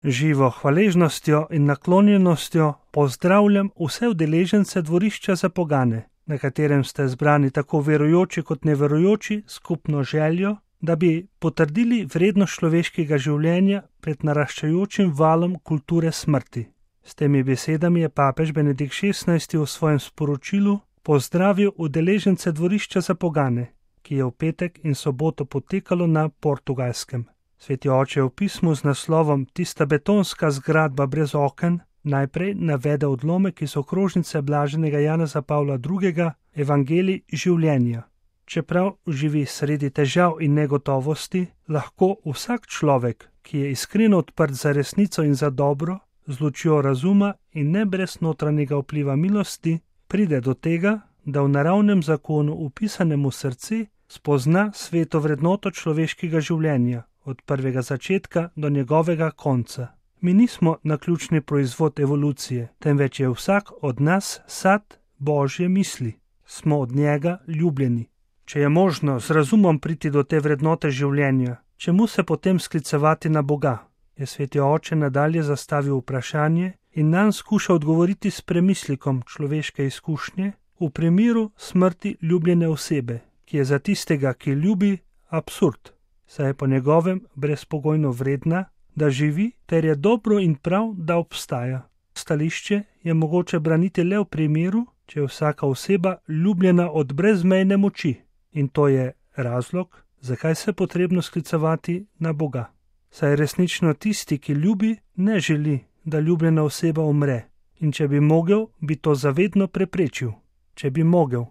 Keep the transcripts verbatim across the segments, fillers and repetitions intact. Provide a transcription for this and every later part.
Živo hvaležnostjo in naklonjenostjo pozdravljam vse udeležence dvorišča za pogane, na katerem ste zbrani tako verujoči kot neverujoči, skupno željo, da bi potrdili vrednost človeškega življenja pred naraščajočim valom kulture smrti. S temi besedami je papež Benedikt šestnajsti v svojem sporočilu pozdravil udeležence dvorišča za pogane, ki je v petek in soboto potekalo na Portugalskem. Sveti oče v pismu z naslovom Tista betonska zgradba brez oken najprej navede odlomek iz okrožnice blaženega Janeza Pavla drugega. Evangelij življenja. Čeprav živi sredi težav in negotovosti, lahko vsak človek, ki je iskreno odprt za resnico in za dobro, z lučjo razuma in ne brez notranjega vpliva milosti, pride do tega, da v naravnem zakonu upisanem v srce spozna sveto vrednoto človeškega življenja, od prvega začetka do njegovega konca. Mi nismo naključni proizvod evolucije, temveč je vsak od nas sad Božje misli. Smo od njega ljubljeni. Če je možno z razumom priti do te vrednote življenja, čemu se potem sklicevati na Boga? Je sveti oče nadalje zastavil vprašanje in nanj skuša odgovoriti s premislikom človeške izkušnje v primeru smrti ljubljene osebe, ki je za tistega, ki ljubi, absurd, saj je po njegovem brezpogojno vredna, da živi, ter je dobro in prav, da obstaja. Stališče je mogoče braniti le v primeru, če je vsaka oseba ljubljena od brezmejne moči, in to je razlog, zakaj se je potrebno sklicevati na Boga. Saj resnično tisti, ki ljubi, ne želi, da ljubljena oseba umre, in če bi mogel, bi to zavedno preprečil. Če bi mogel.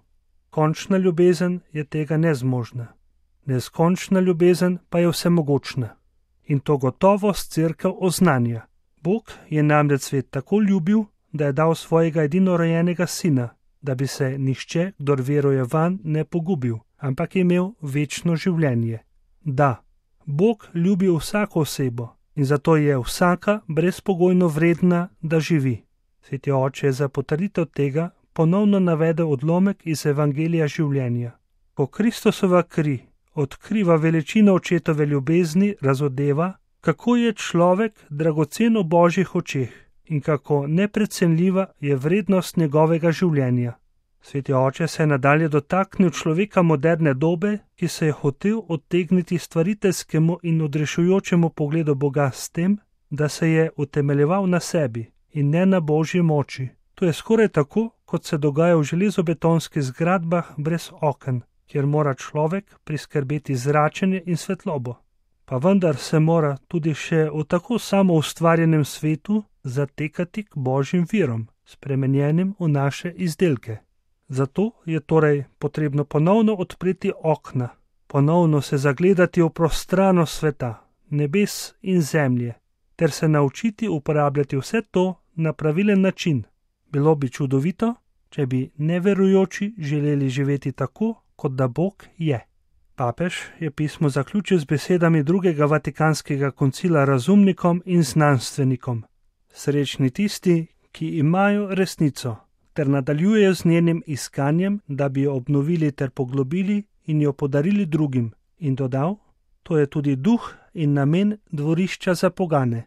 Končna ljubezen je tega nezmožna. Neskončna ljubezen pa je vsemogočna. In to gotovost cerkev oznanja. Bog je namreč svet tako ljubil, da je dal svojega edinorojenega sina, da bi se nihče, kdor veruje vanj, ne pogubil, ampak je imel večno življenje. Da, Bog ljubi vsako osebo in zato je vsaka brezpogojno vredna, da živi. Sveti oče je za potrditev tega ponovno navedel odlomek iz Evangelija življenja. Ko Kristusova kri odkriva veličino očetove ljubezni, razodeva, kako je človek dragocen v Božjih očeh in kako neprecenljiva je vrednost njegovega življenja. Sveti oče se je nadalje dotaknil človeka moderne dobe, ki se je hotel odtegniti stvariteljskemu in odrešujočemu pogledu Boga s tem, da se je utemeljeval na sebi in ne na Božji moči. To je skoraj tako, kot se dogaja v železobetonskih zgradbah brez oken, kjer mora človek priskrbeti zračenje in svetlobo. Pa vendar se mora tudi še v tako samoustvarjenem svetu zatekati k Božjim virom, spremenjenim v naše izdelke. Zato je torej potrebno ponovno odpreti okna, ponovno se zagledati v prostranost sveta, nebes in zemlje, ter se naučiti uporabljati vse to na pravilen način. Bilo bi čudovito, če bi neverujoči želeli živeti tako, kot da Bog je. Papež je pismo zaključil z besedami drugega vatikanskega koncila razumnikom in znanstvenikom. Srečni tisti, ki imajo resnico, ter nadaljujejo z njenim iskanjem, da bi jo obnovili ter poglobili in jo podarili drugim, in dodal, to je tudi duh in namen dvorišča za pogane.